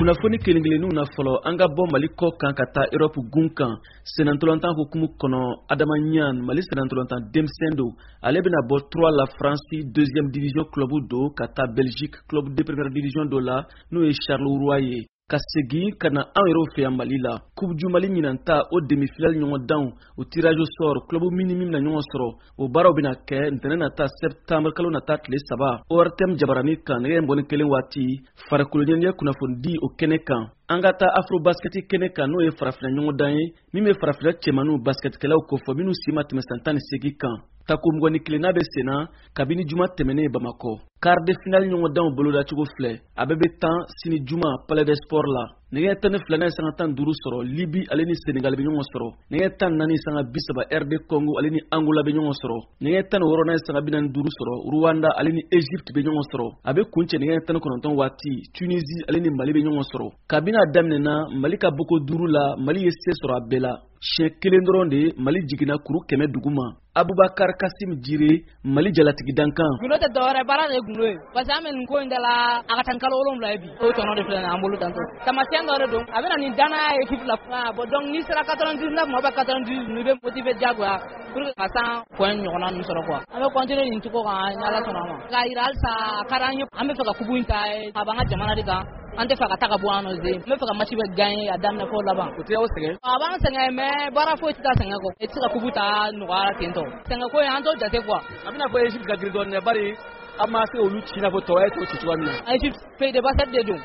Kunnafoni kelen kelenninw na fɔlɔ, an ka bɔ Mali kɔ kan ka taa Europe gun kan. Senantolantan hukumu kɔnɔ, Adama Ɲan, Mali senantolantan denmisɛn don, ale bɛna bɔ 3 la, France deuxième division club don, ka taa Belgique club de première division dɔ la, n'o ye Charleroi ye. Ka segin ka na an yɛrɛw fɛ yan Mali la, Coupe du Mali ɲinan ta, o demi-finale ɲɔgɔndanw, o tirage au sort, club min ni min bɛna ɲɔgɔn sɔrɔ, o baaraw bɛna kɛ ntɛnɛn nata, septembre kalo nata tile 3, ORTM jabarani kan, nɛgɛ 21 waati, farikolo ɲɛnajɛ kunnafonidi o kɛnɛ kan. An ka taa Afro Basket kɛnɛ kan, n'o ye farafinna ɲɔgɔndan ye min bɛ farafinna cɛmaniw basketkɛlaw kofɔ, minnu si ma tɛmɛ san 18 kan. Tako 21nan bɛ senna kabini juma tɛmɛnen Bamakɔ. Quart de finale ɲɔgɔndanw bolodacogo filɛ: a bɛɛ bɛ tan sini juma Palais des Sports la. Nɛgɛ 12 n'a ye sanga 15 sɔrɔ, Libi ale ni Senegal bɛ ɲɔgɔn sɔrɔ. Nɛgɛ 14 sanga 30, RD Congo ale ni Angola bɛ ɲɔgɔn sɔrɔ. Nɛgɛ 16 n'a ye sanga 45 sɔrɔ, Rwanda ale ni Egypte bɛ ɲɔgɔn sɔrɔ. A bɛ kuncɛ nɛgɛ 19 waati, Tunisie ale ni Mali bɛ ɲɔgɔn sɔrɔ. Kabini a daminɛna, Mali ka boko duuru la, Mali ye se sɔrɔ a bɛɛ la. Siɲɛ kelen dɔrɔn de Mali jiginna kuru 100 duguma. Abubakar Kasim Jire, Mali jalatigi dankan. Gundo tɛ dɔwɛrɛ, baara de ye gundo ye, parce que an bɛ nin ko in da la, a ka ca ni kalo 7 ye bi. O tɔnɔ de filɛ nin ye an bolo tantɔ. Taamasiyɛn dɔ de don, a bɛ na ni danaya ye équipe la. Bon, donc n'i sera 99 ma ou bien 98, i bɛ motiver diyagoya pour que ka 100 point ɲɔgɔnna ninnu sɔrɔ quoi. An bɛ continuer nin cogo kan ni Ala sɔnna a ma, k'a yira halisa a ka d'an ye. An bɛ fɛ ka coupe in ta, a b'an ka jamana de kan, an tɛ fɛ ka taa ka bɔ an nɔ zen. N bɛ fɛ ka match bɛ gagner a daminɛ fo laban. O tɛ aw sɛgɛn? A b'an sɛgɛn, mais baara foyi tɛ taa sɛgɛn kɔ. I tɛ se ka coupe ta nɔgɔya la ten tɔ. Sɛgɛn ko in, an t'o jate quoi. A bɛna fɔ Egypte ka girin dɔɔnin dɛ, bari an ma se olu ci i n'a fɔ tɔw ye t'o ci cogoya min na. Egypte, pays de basket de don,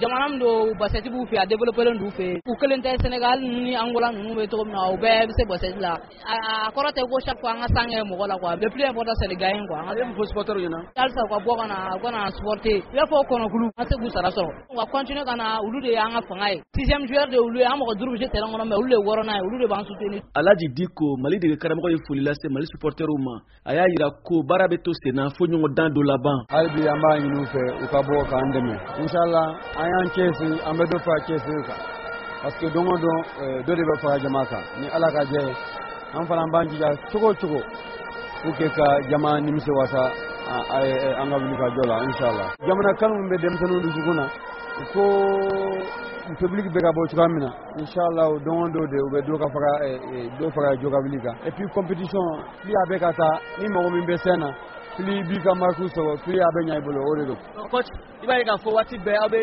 jamana min don, basket b'u fɛ, a développé len d'u fɛ. U kelen tɛ, Sénégal ninnu ni Angola ninnu bɛ cogo min na, u bɛɛ bɛ se basket la. A kɔrɔ tɛ ko chaque fois an ka san kɛ mɔgɔ la quoi. Le plus important, c'est de gagner quoi. A ye mun fɔ supporters ɲɛna? Halisa u ka bɔ ka na, u ka na supporter. I b'a fɔ kɔnɔkulu, an se k'u sara sɔrɔ, u ka continuer ka na. Olu de y'an ka fanga ye. Sixième joueur de olu ye, an mɔgɔ duuru bɛ se terrain kɔnɔ, mais olu de ye wɔɔrɔnan ye, olu de b'an soutenir. Alaji Diko, Mali dege karamɔgɔ, ye foli lase Mali supporters ma. A y'a yira ko baara bɛ to senna fo ɲɔgɔn dan dɔ laban. Hali bi an b'a ɲini u fɛ, u ka bɔ k'an dɛmɛ. Inshallah, an y'an cɛsiri, an bɛ dɔ fara cɛsiri kan, parce que don o don, dɔ de bɛ fara jama kan. Ni Ala ka jɛ ye, an fana b'an jija cogo o cogo pour que ka jama nimisi wasa an ka wuli ka jɔ la, inshallah. Jamana kanu bɛ denmisɛnninw dusukun na ko public bɛ ka bɔ cogoya min na, inshallah, don o don de u bɛ dɔ ka fara, dɔ fara jɔ ka wuli kan. Et puis compétition, plus a bɛ ka taa, ni mɔgɔ min bɛ scène na, plus i b'i ka marque sɔrɔ, plus a bɛ ɲɛ i bolo, o de don. Coach, i b'a ye k'a fɔ waati bɛɛ aw bɛ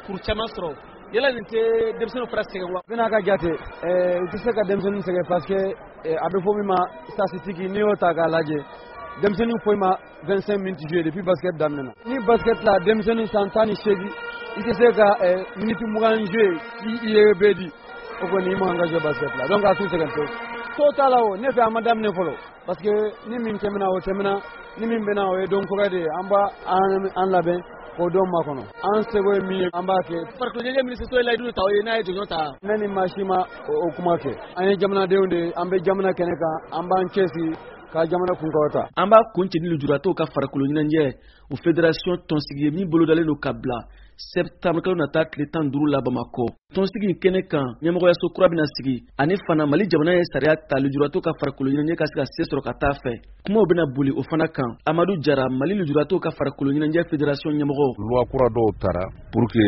kuru caman sɔrɔ. Yala nin tɛ denmisɛnninw fana sɛgɛn wa? Bɛna ka jate, u tɛ se ka denmisɛnninw sɛgɛn, parce que a bɛ fɔ min ma statistique, n'i y'o ta k'a lajɛ, denmisɛnnin foyi ma 25 minutes jouer depuis basket daminɛna. Ni basket la, denmisɛnnin san 18, i tɛ se ka minute 20 jouer k'i i ye bɛɛ di, o kɔni i man ka jouer basket la. Donc a t'u sɛgɛn pewu, to t'a la. O ne fɛ, a ma daminɛ fɔlɔ, parce que ni min tɛmɛna, o tɛmɛna. Ni min bɛna, o ye don kura de ye. An b'a an labɛn k'o don makɔnɔ. An seko ye min ye, an b'a kɛ. Farikolo ɲɛnajɛ minisiriso ye layidu ta o ye n'a ye jɔnjɔn ta. Ne ni maa si ma o kuma kɛ. An ye jamanadenw de ye, an bɛ jamana kɛnɛ kan, an b'an cɛsiri ka jamana kunkɔrɔta. An b'a kuncɛ ni lujuratɔw ka farikolo ɲɛnajɛ, o fédération tɔnsigi ye min bolodalen don ka bila septembre kalo nata tile 15 la Bamakɔ. Tɔnsigi in kɛnɛ kan, ɲɛmɔgɔyaso kura bɛna sigi. Ani fana, Mali jamana ye sariya ta lujuratɔw ka farikolo ɲɛnajɛ ka se ka se sɔrɔ ka taa fɛ. Kumaw bɛna boli o fana kan. Amadu Jara, Mali lujuratɔw ka farikolo ɲɛnajɛ fédération ɲɛmɔgɔ. Loi kura dɔw tara pour que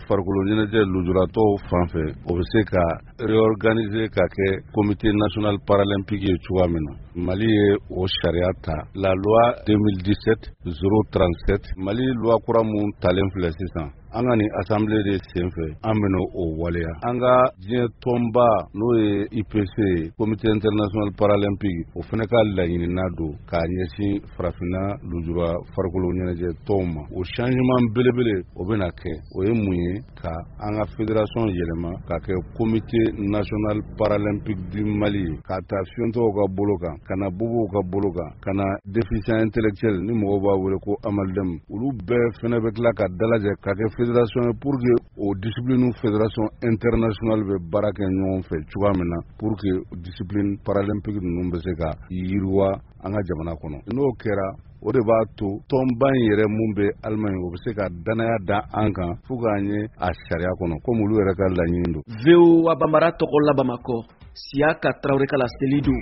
farikolo ɲɛnajɛ lujuratɔw fan fɛ, o bɛ se ka réorganiser ka kɛ Comité national paralympique ye cogoya min na. Mali ye o sariya ta, la loi 2017 037. Mali loi kura mun talen filɛ sisan, an ka nin assemblée de sen fɛ an bɛna o waleya. An ka diɲɛ tɔnba, n'o ye IPC ye, Comité international paralympique, o fana ka laɲinina don k'a ɲɛsin farafinna lujura farikolo ɲɛnajɛ tɔnw ma. O changement belebele o bɛna kɛ, o ye mun ye? Ka an ka fédération yɛlɛma ka kɛ Comité national paralympique du Mali ye, k'a ta fiyentɔw ka bolo kan, ka na bobow ka bolo kan, ka na déficient intellectuel ni mɔgɔw b'a wele ko AMALDEME. Olu bɛɛ fɛnɛ bɛ tila ka dalajɛ ka kɛ fédération ye, pour que o discipline fédération internationale bɛ baara kɛ ɲɔgɔn fɛ cogoya min na, pour que discipline paralympique ninnu bɛ se ka yiriwa an ka jamana kɔnɔ. N'o kɛra, o de b'a to tɔnba in yɛrɛ mun bɛ Alimaɲi, o bɛ se ka danaya da an kan fo k'an ye a sariya kɔnɔ, komi olu yɛrɛ ka laɲini don. VOA Bambara tɔgɔ la Bamakɔ, Siyaka Tarawele ka laseli don.